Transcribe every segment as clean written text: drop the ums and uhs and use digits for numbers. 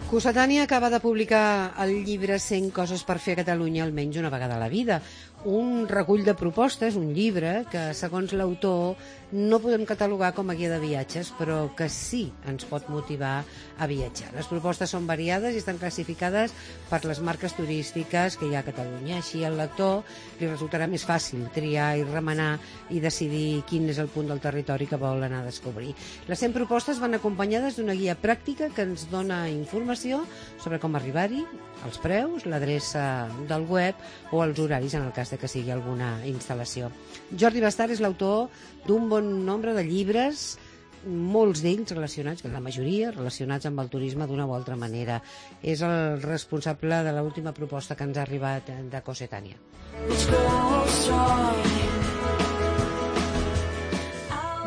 Cossetània acaba de publicar el llibre 100 coses per fer a Catalunya almenys una vegada a la vida. Un recull de propostes, un llibre que, segons l'autor, no podem catalogar com a guia de viatges, però que sí ens pot motivar a viatjar. Les propostes són variades i estan classificades per les marques turístiques que hi ha a Catalunya. Així al lector li resultarà més fàcil triar i remenar i decidir quin és el punt del territori que vol anar a descobrir. Les 100 propostes van acompanyades d'una guia pràctica que ens dona informació sobre com arribar-hi, els preus, l'adreça del web o els horaris en el cas de que sigui alguna instal·lació. Jordi Bastard és l'autor d'un bon nombre de llibres, molts d'ells relacionats, la majoria relacionats amb el turisme d'una o altra manera. És el responsable de l'última proposta que ens ha arribat de Cossetània.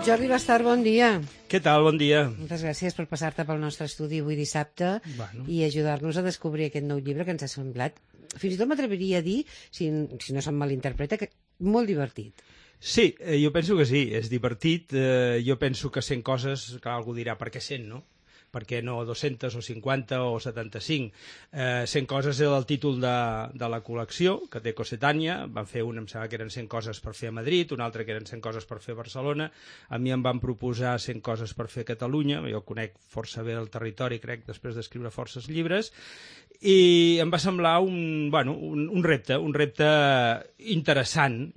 Jordi Bastard, bon dia. Què tal? Bon dia. Moltes gràcies per passar-te pel nostre estudi avui dissabte i ajudar-nos a descobrir aquest nou llibre que ens ha semblat, fins i tot m'atreviria a dir, si no se'm malinterpreta, que molt divertit. Sí, jo penso que sí, és divertit. Jo penso que 100 coses, clar, algú dirà, per què 100, no? Per què no 200 o 50 o 75? 100 coses era el títol de la col·lecció que té Cossetània. Van fer una, em sembla que eren 100 coses per fer a Madrid, una altra que eren 100 coses per fer a Barcelona. A mi em van proposar 100 coses per fer a Catalunya. Jo conec força bé el territori, crec, després d'escriure forces llibres. I em va semblar un repte interessant,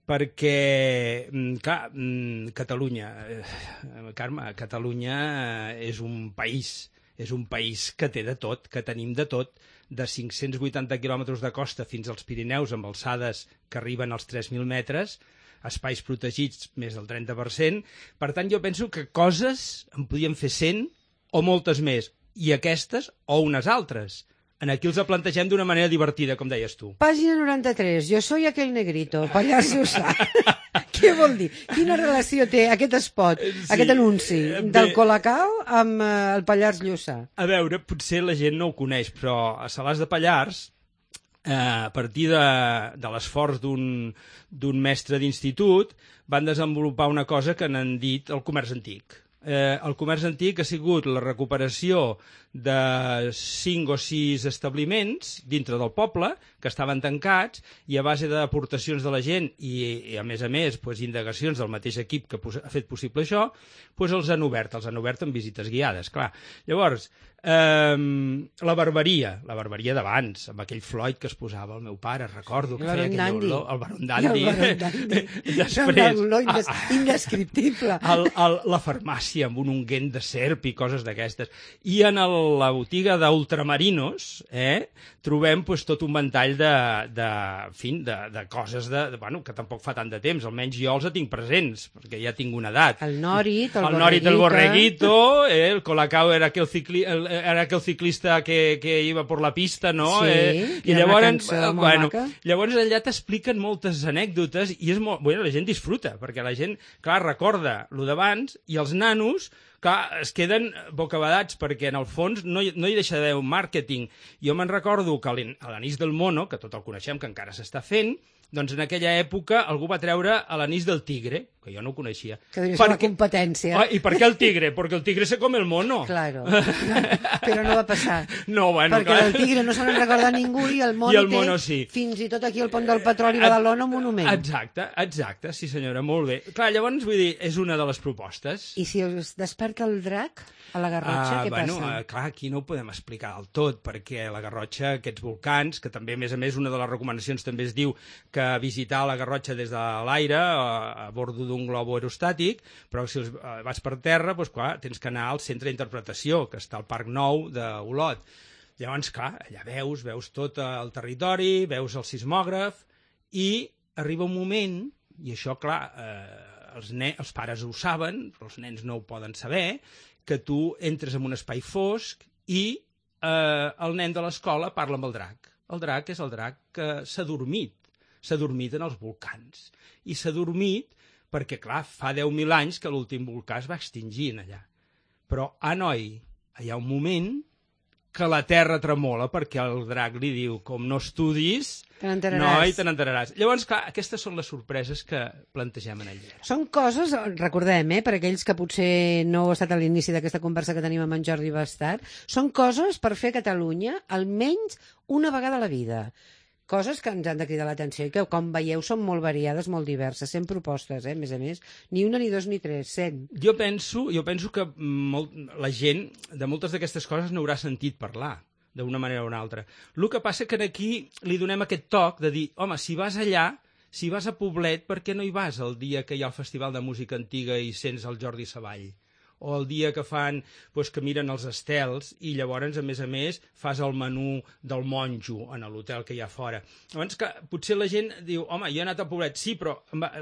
perquè, clar, Catalunya, Carme, Catalunya és un país que té de tot, que tenim de tot, de 580 quilòmetres de costa fins als Pirineus, amb alçades que arriben als 3.000 metres, espais protegits més del 30%. Per tant, jo penso que coses en podíem fer 100 o moltes més, i aquestes o unes altres. Aquí els plantegem d'una manera divertida, com deies tu. Pàgina 93. Jo soy aquel negrito, Pallars Jussà. Què vol dir? Quina relació té aquest spot, aquest anunci del Colacao amb el Pallars Jussà? A veure, potser la gent no ho coneix, però a Salàs de Pallars, a partir de l'esforç d'un mestre d'institut, van desenvolupar una cosa que n'han dit el comerç antic. El comerç antic ha sigut la recuperació de 5 o 6 establiments dintre del poble que estaven tancats, i a base d'aportacions de la gent i a més, indagacions del mateix equip que ha fet possible això, els han obert amb visites guiades, clar. Llavors, la barberia d'abans, amb aquell Floyd que es posava el meu pare, recordo que feia aquell olor, el Baron Dandy. Després, indescriptible. La farmàcia amb un unguent de serp i coses d'aquestes. I en la botiga d'ultramarinos trobem tot un ventall de coses que tampoc fa tant de temps, almenys jo els tinc presents, perquè ja tinc una edat. El Norit, el borreguito, el Colacao era aquel ciclista que iba por la pista, no? Sí, i llavors allà t'expliquen moltes anècdotes i és molt... la gent disfruta, perquè la gent, clar, recorda lo d'abans, i els nanos, clar, es queden bocabadats, perquè en el fons no hi deixa d'haver un màrqueting. Jo me'n recordo que a l'anís del mono, que tot el coneixem, que encara s'està fent, doncs en aquella època algú va treure l'anís del tigre, que jo no ho coneixia. Que devia ser la competència. I per què el tigre? Perquè el tigre se come el mono. Claro, però no va passar. No, perquè del tigre no se n'en recorda ningú i el mono té fins i tot aquí al Pont del Petroli a Badalona un monument. Exacte, sí senyora, molt bé. Clar, llavors vull dir, és una de les propostes. I si es desperta el drac a la Garrotxa, què passa? Clar, aquí no ho podem explicar del tot, perquè a la Garrotxa aquests volcans, que també, a més, una de les recomanacions també es diu que visitar la Garrotxa des de l'aire, a bord d'un globo aerostàtic, però si vas per terra, clar, tens que anar al centre d'interpretació, que està al Parc Nou d'Olot. Llavors, clar, allà veus tot el territori, veus el sismògraf, i arriba un moment, i això, clar, els pares ho saben, però els nens no ho poden saber, que tu entres en un espai fosc i el nen de l'escola parla amb el drac. El drac és el drac que s'ha dormit en els volcans. I s'ha dormit perquè, clar, fa 10.000 anys que l'últim volcà es va extingir allà. Però, noi, hi ha un moment que la terra tremola perquè el drac li diu, com no estudis, te n'enteraràs. Noi, te n'enteraràs. Llavors, clar, aquestes són les sorpreses que plantegem en el llibre. Són coses, recordem, per aquells que potser no heu estat a l'inici d'aquesta conversa que tenim amb en Jordi Bastard, són coses per fer a Catalunya almenys una vegada a la vida. Coses que ens han de cridar l'atenció i que, com veieu, són molt variades, molt diverses. 100 propostes, a més, ni una, ni dos, ni tres, 100. Jo penso que la gent de moltes d'aquestes coses n'haurà sentit parlar, d'una manera o una altra. El que passa que aquí li donem aquest toc de dir, home, si vas allà, si vas a Poblet, per què no hi vas el dia que hi ha el Festival de Música Antiga i sents el Jordi Savall? O el dia que fan, doncs, que miren els estels i llavors, a més, fas el menú del monjo en l'hotel que hi ha fora. Llavors, que potser la gent diu, home, jo he anat a Poblet, sí, però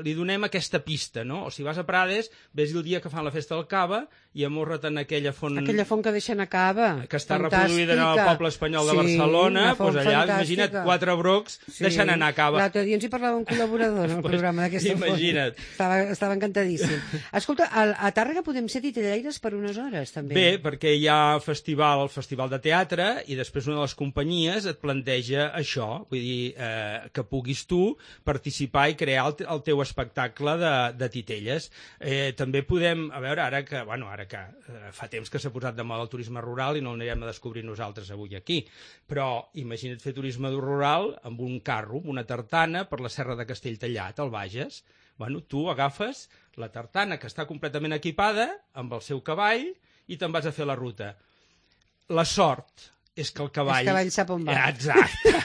li donem aquesta pista, no? O si vas a Prades, ves el dia que fan la festa del Cava i amorra't en aquella font... Aquella font que deixen a Cava. Que està reproduïda en el poble espanyol de Barcelona, doncs allà, imagina't, 4 brocs deixant anar a Cava. L'altre dia ens hi parlava un col·laborador en el programa d'aquesta font. Imagina't. Estava encantadíssim. Escolta, a Tàrrega podem ser titellaires per unes hores, també. Bé, perquè hi ha el festival de teatre, i després una de les companyies et planteja això, vull dir, que puguis tu participar i crear el teu espectacle de titelles. També podem, a veure, ara que fa temps que s'ha posat de moda el turisme rural i no l'anirem a descobrir nosaltres avui aquí, però imagina't fer turisme rural amb un carro, amb una tartana per la serra de Castelltallat, al Bages. Bueno, tu agafes la tartana, que està completament equipada, amb el seu cavall, i te'n vas a fer la ruta. La sort és que el cavall... El cavall sap on va. Exacte.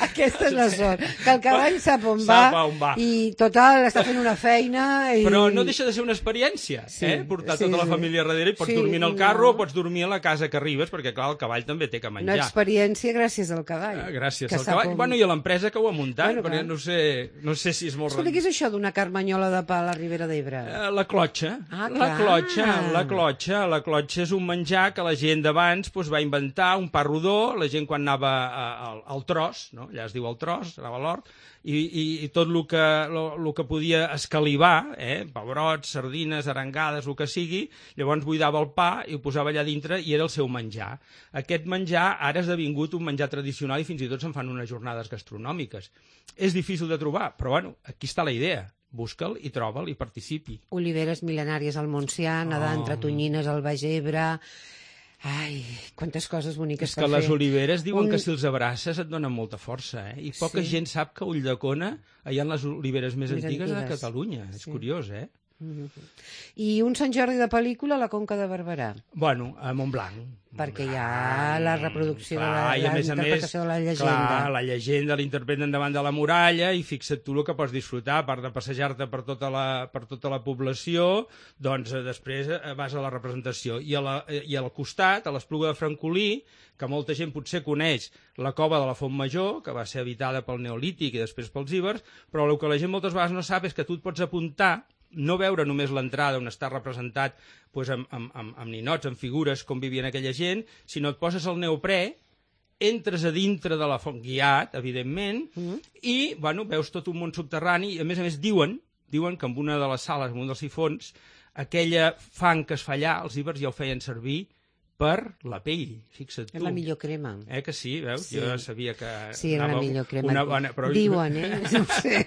Aquesta és la sort, que el cavall sap on va i total està fent una feina i... Però no deixa de ser una experiència, portar tota la família darrere i pots dormir en el carro o pots dormir a la casa que arribes, perquè clar, el cavall també té que menjar. Una experiència gràcies al cavall. Gràcies al cavall. Bueno, i a l'empresa que ho ha muntat, perquè no sé si és molt... Escolta, què és això d'una carmanyola de pa a la Ribera d'Ebre? La clotxa. La clotxa és un menjar que la gent d'abans va inventar, un pa rodó, la gent quan anava al tros, no? Allà es diu el tros, anava a l'hort, i tot el que podia escalivar, pebrots, sardines, arengades, el que sigui, llavors buidava el pa i ho posava allà dintre i era el seu menjar. Aquest menjar ara ha esdevingut un menjar tradicional i fins i tot se'n fan unes jornades gastronòmiques. És difícil de trobar, però bueno, aquí està la idea. Busca'l i troba'l i participi. Oliveres mil·lenàries al Montsià, nedar entre tonyines al Baix Ebre... Ai, quantes coses boniques per fer. És que les oliveres diuen que si els abraces et donen molta força, I poca gent sap que a Ulldecona hi ha les oliveres més antigues de Catalunya. És curiós, I un Sant Jordi de pel·lícula a la Conca de Barberà. Bueno, a Montblanc. Perquè hi ha la reproducció de la interpretació de la llegenda. Clar, la llegenda l'interpreten davant de la muralla i fixa't tu el que pots disfrutar, a part de passejar-te per tota la població, doncs després vas a la representació. I al costat, a l'Espluga de Francolí, que molta gent potser coneix la cova de la Font Major, que va ser habitada pel Neolític i després pels ibers, però el que la gent moltes vegades no sap és que tu et pots apuntar, no veure només l'entrada on està representat amb ninots, amb figures, com vivien aquella gent, sinó et poses el neoprè, entres a dintre de la font, guiat, evidentment, i veus tot un món subterrani, i a més diuen que en una de les sales, en un dels sifons, aquella fang que es fa allà, els ibers ja ho feien servir per la pell, fixa't tu. És la millor crema. Que sí, veus? Sí. Jo sabia que... Sí, era la millor crema. Diuen, no sé.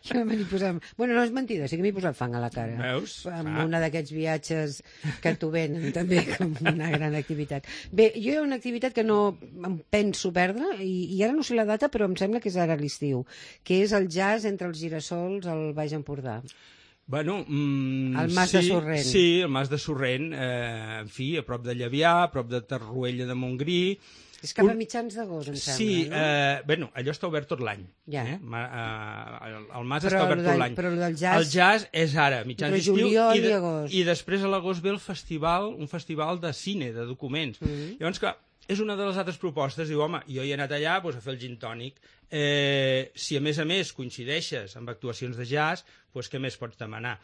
Jo m'hi posava... Bueno, no és mentida, sí que m'hi posat fang a la cara. Veus? Amb una d'aquests viatges que t'ho venen també com una gran activitat. Bé, jo hi ha una activitat que no em penso perdre, i ara no sé la data, però em sembla que és ara l'estiu, que és el jazz entre els girassols al Baix Empordà. Bueno, el Mas de Sorrent. Sí, el Mas de Sorrent, en fi, a prop de Llevià, a prop de Torroella de Montgrí. És cap a mitjans d'agost, em sembla, no? Bueno, allò està obert tot l'any. Ja. El Mas està obert tot l'any. Però el del jazz... El jazz és ara, mitjans d'estiu. Juliol i agost. I després a l'agost ve un festival de cine, de documents. Llavors, clar, és una de les altres propostes. Diu, home, jo hi he anat allà a fer el gin tònic. Si a més coincideixes amb actuacions de jazz, doncs què més pots demanar?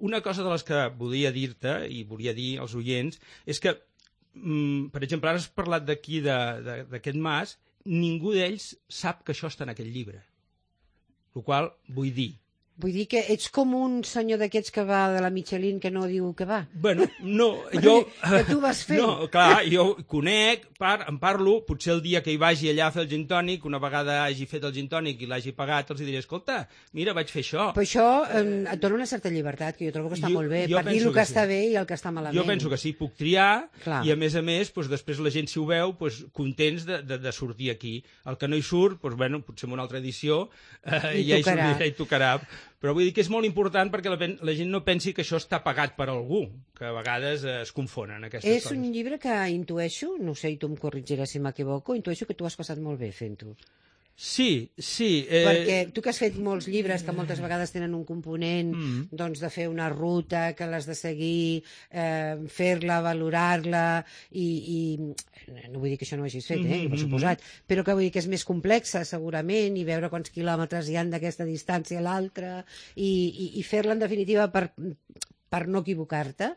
Una cosa de les que volia dir-te, i volia dir als oients, és que, per exemple, ara has parlat d'aquí, d'aquest mas, ningú d'ells sap que això està en aquest llibre. El qual vull dir Vull dir que ets com un senyor d'aquests que va de la Michelin que no diu que va. Bueno, no, jo... Que tu vas fer. No, clar, jo conec, en parlo, potser el dia que hi vagi allà a fer el gin tònic, una vegada hagi fet el gin tònic i l'hagi pagat, els diré, escolta, mira, vaig fer això. Però això et dona una certa llibertat, que jo trobo que està molt bé, per dir el que està bé i el que està malament. Jo penso que sí, puc triar, clar. I a més, doncs, després la gent, si ho veu, doncs, contents de sortir aquí. El que no hi surt, doncs, bueno, potser en una altra edició ja hi sortirà i tocarà. Però vull dir que és molt important perquè la gent no pensi que això està pagat per algú, que a vegades es confonen aquestes coses. És un llibre que intueixo, no sé, i tu em corregiràs si m'equivoco, intueixo que tu has passat molt bé fent-ho. Sí. Perquè tu que has fet molts llibres que moltes vegades tenen un component doncs, de fer una ruta, que l'has de seguir, fer-la, valorar-la, i no vull dir que això no ho hagis fet, per suposat, però que vull dir que és més complexa segurament, i veure quants quilòmetres hi han d'aquesta distància a l'altra, i fer-la en definitiva per no equivocar-te,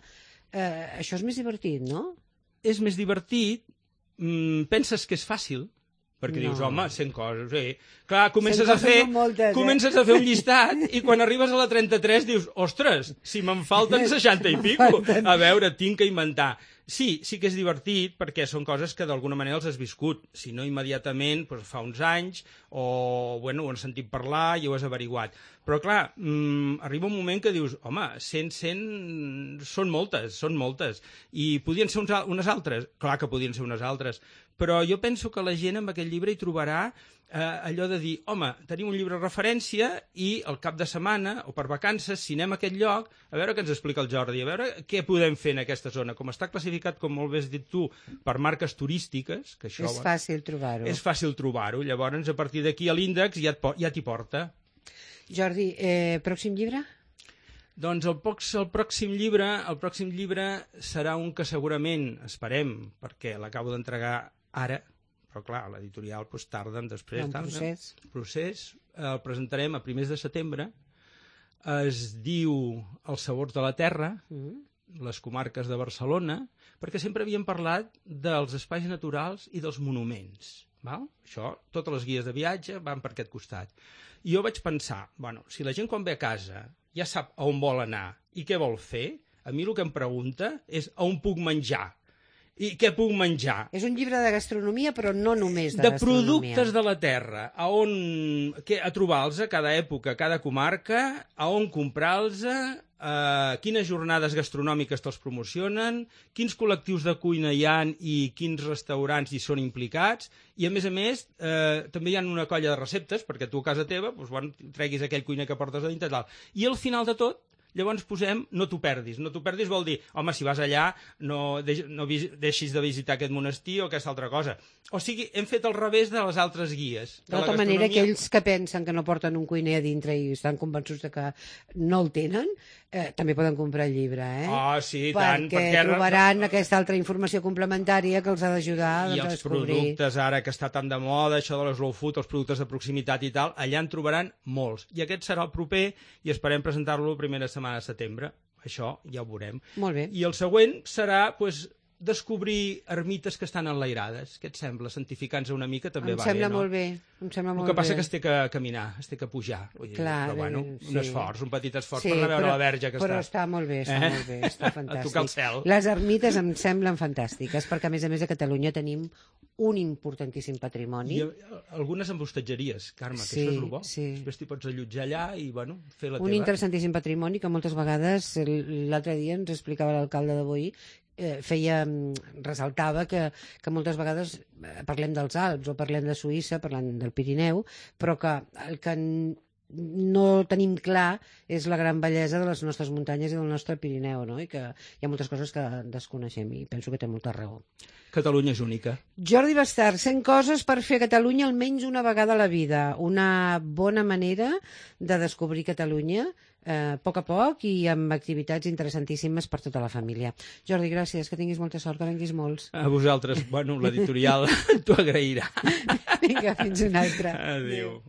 això és més divertit, no? És més divertit, penses que és fàcil, perquè dius, home, 100 coses. Clar, comences a fer un llistat i quan arribes a la 33 dius, ostres, si me'n falten 60 i pico. A veure, tinc que inventar. Sí que és divertit perquè són coses que d'alguna manera els has viscut. Si no immediatament, doncs fa uns anys, o bueno, ho has sentit parlar i ho has averiguat. Però clar, arriba un moment que dius, home, 100 són moltes. I podien ser unes altres? Clar que podien ser unes altres. Però jo penso que la gent amb aquest llibre hi trobarà allò de dir, home, tenim un llibre de referència i al cap de setmana o per vacances, si anem a aquest lloc, a veure què ens explica el Jordi, a veure què podem fer en aquesta zona. Com està classificat, com molt bé has dit tu, per marques turístiques, que això... És fàcil trobar-ho. És fàcil trobar-ho. Llavors, a partir d'aquí, l'índex ja t'hi porta. Jordi, pròxim llibre? Doncs el pròxim llibre serà un que segurament, esperem, perquè l'acabo d'entregar ara, però clar, l'editorial tarden després. Procés. El presentarem a primers de setembre. Es diu Els sabors de la terra, les comarques de Barcelona, perquè sempre havíem parlat dels espais naturals i dels monuments. Val? Això, totes les guies de viatge van per aquest costat. I jo vaig pensar, bueno, si la gent quan ve a casa ja sap a on vol anar i què vol fer, a mi el que em pregunta és a on puc menjar. I què puc menjar? És un llibre de gastronomia, però no només de gastronomia. De productes de la terra, a trobar-los a cada època, a cada comarca, a on comprar-los, quines jornades gastronòmiques te'ls promocionen, quins col·lectius de cuina hi ha i quins restaurants hi són implicats, i a més, també hi ha una colla de receptes, perquè tu a casa teva treguis aquell cuiner que portes a dintre i tal. I al final de tot, llavors posem no t'ho perdis. No t'ho perdis vol dir, home, si vas allà no deixis de visitar aquest monestir o aquesta altra cosa. O sigui, hem fet al revés de les altres guies. De tota manera, aquells que pensen que no porten un cuiner a dintre i estan convençuts que no el tenen, també poden comprar el llibre, sí, tant. Perquè trobaran aquesta altra informació complementària que els ha d'ajudar a descobrir. I els productes, ara que està tan de moda, això de la slow food, els productes de proximitat i tal, allà en trobaran molts. I aquest serà el proper i esperem presentar-lo la primera setmana de setembre. Això ja ho veurem. Molt bé. I el següent serà, descobrir ermites que estan enlairades. Què et sembla? Santificant-se una mica també va bé, no? Em sembla molt bé. El que passa que es té que caminar, es té que pujar. Clar, però bueno, un esforç, un petit esforç per anar a veure la verge que però està molt bé, està fantàstic. A tocar el cel. Les ermites em semblen fantàstiques, perquè a més a Catalunya tenim un importantíssim patrimoni. I algunes amb hostatgeries, Carme, que això és el bo. Després t'hi pots allotjar allà i, fer la teva. Un interessantíssim patrimoni que moltes vegades, l'altre dia ens explicava l'alcalde de Boí, ressaltava que moltes vegades parlem dels Alps o parlem de Suïssa, parlem del Pirineu, però que el que no tenim clar és la gran bellesa de les nostres muntanyes i del nostre Pirineu, no? I que hi ha moltes coses que desconeixem i penso que té molta raó. Catalunya és única. Jordi Bastart, 100 coses per fer a Catalunya almenys una vegada a la vida. Una bona manera de descobrir Catalunya a poc i amb activitats interessantíssimes per tota la família. Jordi, gràcies, que tinguis molta sort, que venguis molts. A vosaltres, l'editorial t'ho agrairà. Vinga, fins una altra. Adéu.